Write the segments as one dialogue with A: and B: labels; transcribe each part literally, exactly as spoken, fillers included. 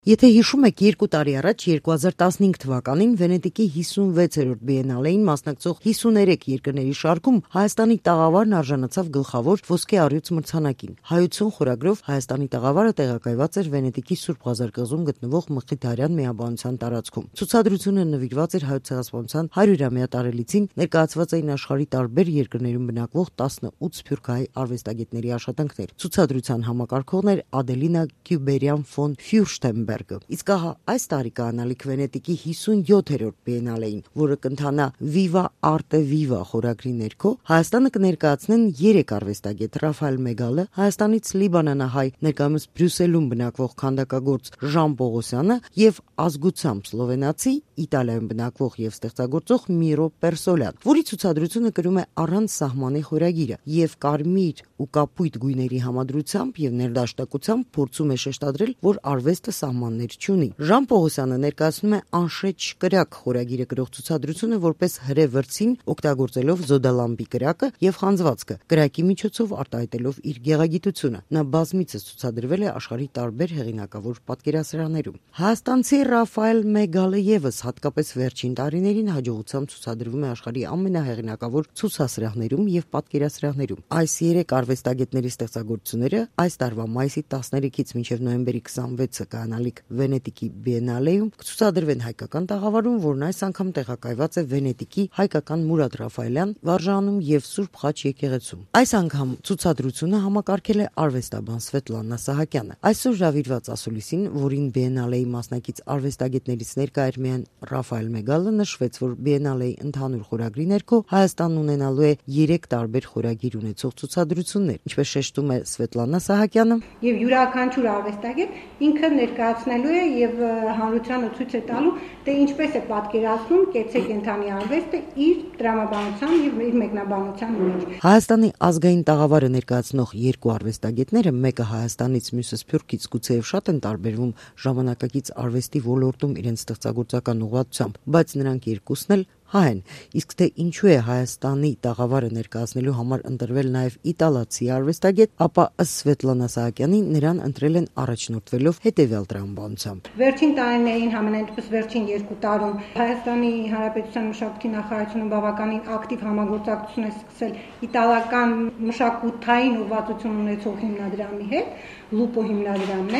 A: Եթե հիշում եք, երկու տարի առաջ երկու հազար տասնհինգ թվականին Վենետիկի հիսունվեցերորդ բիենալեին մասնակցող հիսուներեք երկրների շարքում Հայաստանի տաղավարն արժանացավ գլխավոր ոսկե առյուծ մրցանակին։ Հայություն խորագրով Հայաստանի տաղավարը տեղակայված էր Վենետիկի Սուրբ Ղազար կղզում գտնվող Մխիթարյան միաբանության տարածքում։ Ցուցադրությունը նվիրված էր Հայոց ցեղասպանության հարյուրամյա տարելիցին, ներկայացված էին աշխարհի տարբեր երկրներում բնակվող տասնութ սփյուռքահայ արվեստագետների աշխատանքներ։ Ցուցադրության համակարգողն էր Ադելինա Գյուբերյան ֆոն Ֆյուրշտենբերգը։ Իսկ ահա այս տարի կանալիք Վենետիկի հիսունյոթերորդ բիենալեին, որը կընթանա Viva Arte Viva խորագրի ներքո, Հայաստանը կներկայացնեն երեք արվեստագետ՝ Ռաֆայել Մեգալը, Հայաստանից լիբանանահայ, ներկայումս Բրյուսելում բնակվող քանդակագործ Ժան Պողոսյանը եւ ազգությամբ սլովենացի, Իտալիայում բնակվող եւ ստեղծագործող Միրո Պերսոլյան, որի ցուցադրությունը կրում է առանց սահմանի խորագիրը եւ կարմիր ու կապույտ գույների համադրությամբ եւ ներդաշնակությամբ փորձում է շեշտադրել, որ արվեստը սահմաններ չունի։ Ժան Պողոսյանը ներկայացնում է Անշեջ կրակ խորագիրը կրող ցուցադրությունը որպես հրե վրձին, օգտագործելով զոդալամբի կրակը եւ խանձվածքը, կրակի միջոցով արտահայտելով իր գեղագիտությունը։ Նա բազմիցս ցուցադրվել է աշխարհի տարբեր հեղինակավոր պատկերասրահներում։ Հայաստանցի Ռաֆայել Մեգալը եւս հատկապես վերջին տարիներին հաջողությամբ ցուցադրվում է աշխարհի ամենահեղինակավոր ցուցասրահներում եւ պատկերասրահներում։ Այս երեք արվեստագետների ստեղծագործությունները այս տարվա մայիսի տասներեքից մինչեւ նոյեմբերի քսանվեցը կանալիք Վենետիկի բիենալեում կցուցադրվեն հայկական տաղավարում, որն այս անգամ տեղակայված է Վենետիկի հայկական Մուրադ Ռաֆայելյան վարժանում եւ Սուրբ Խաչ եկեղեցում։ Այս անգամ ցուցադրությունը համակարգել է արվեստաբան Սվետլանա Սահակյանը։ Այսօր հրավիրված ասուլիսին, որին բիենալեի մասնակից արվեստագետներից ներկա էր միայն Ռաֆայել Մեգալը, նշվեց, որ բիենալեի ընդհանուր խորագրի ներքո Հայաստանն ունենալու է երեք տարբեր խորագիր ունեցող ցուցադրություններ, ինչպես շեշտում է Սվետլանա Սահակյանը։
B: Եվ յուրաքանչյուր արվեստագետ ինքը ներկայացնելու է եւ հանրությանը ցույց է տալու, թե ինչպես է պատկերացնում կեցե կենթանի արվեստը իր տրամաբանության եւ իր մեկնաբանության մեջ։
A: Հայաստանի ազգային տաղավարը ներկայացնող երկու արվեստագետները, մեկը Հայաստանից, մյուսը Սփյուռքից, գուցեև շատ են տարբերվում ժամանակակից արվեստի ոլորտում իրենց ստեղծագործական ուղղվածությամբ, բայց նրանք երկուսն էլ հայ են, իսկ թե ինչու է Հայաստանի տաղավարը ներկայացնելու համար ընտրվել նաև իտալացի արվեստագետ, ապա ըստ Սվետլանա Սահակյանի նրան ընտրել են առաջնորդվելով հետևյալ տրամաբանությամբ։
B: Վերջին տարիներին, համենայնդեպս վերջին երկու տարում Հայաստանի Հանրապետության մշակույթի նախարարությունը բավականին ակտիվ համագործակցություն է սկսել իտալական մշակութային ուղղվածություն ունեցող հիմնադրամի հետ, Լուպո հիմնադրամն է,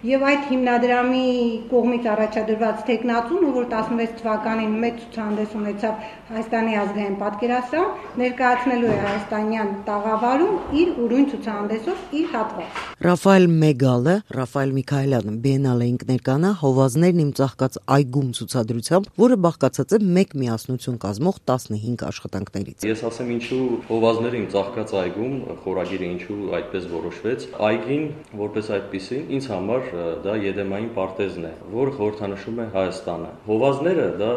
B: եւ այդ հիմնադրամի կողմից առաջադրված տեխնացուն, որ տասնվեց թվականին մեծ ցուցահանդես ունեցավ Հայաստանի ազգային պատկերասրահ, ներկայացնելու է հայաստանյան տաղավարում իր ուրույն ցուցահանդեսով իր հատված։
A: Ռաֆայել Մեգալը, Ռաֆայել Միքայելյանը բիենալեին կներկանա Հովազներն իմ ծաղկած այգում ցուցադրությամբ, որը բաղկացած է մեկ միասնություն կազմող տասնհինգ աշխատանքներից։
C: Ես ասեմ ինչու Հովազները իմ ծաղկած այգում խորագիրը ինչու այդպես որոշվեց։ Այգին որպես այդպիսին ինձ համար դա Եդեմային պարտեզն է, որը խորհրդանշում է Հայաստանը։ Հովազները դա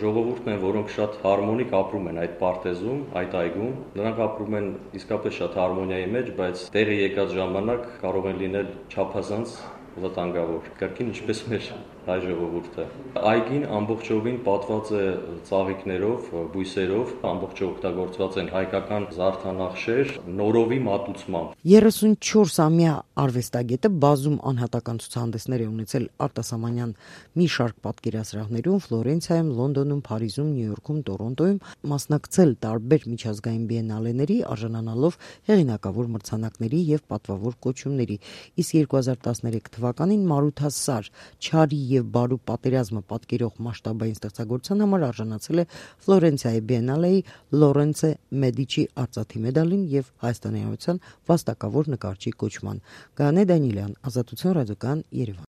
C: ժողովուրդն են, որոնք շատ հարմոնիկ ապրում են այդ պարտեզում, այդ այգում։ Նրանք ապրում են իսկապես շատ հարմոնիայի մեջ, բայց տեղի եկած ժամանակ կարող են լինել չափազանց վտանգավոր, կրկին ինչպես մեր հայ ժողովուրդը։ Այգին ամբողջովին պատված է ծաղիկներով, բույսերով, ամբողջը օգտագործված են հայկական զարդանախշեր, նորովի մատուցմամբ։
A: երեսունչորսամյա արվեստագետը բազում անհատական ցուցահանդեսներ է ունեցել արտասահմանյան մի շարք պատկերասրահներում, Ֆլորենցիայում, Լոնդոնում, Փարիզում, Նյու Յորքում, Տորոնտոյում, մասնակցել տարբեր միջազգային բիենալեների, արժանանալով հեղինակավոր մրցանակների եւ պատվավոր կոչումների։ Իսկ երկու հազար տասներեք թվականին Մարութասար Չարի եւ բարու պատերազմը պատկերող մասշտաբային ստեղծագործության համար արժանացել է Ֆլորենցիայի բիենալեի Լորենցե Մեդիչի արծաթի մեդալին եւ Հայաստանի Հանրության վաստակավոր նկարչի կոչման։ Գայանե Դանիելյան, Ազատություն ռադիոկայան, Երևան։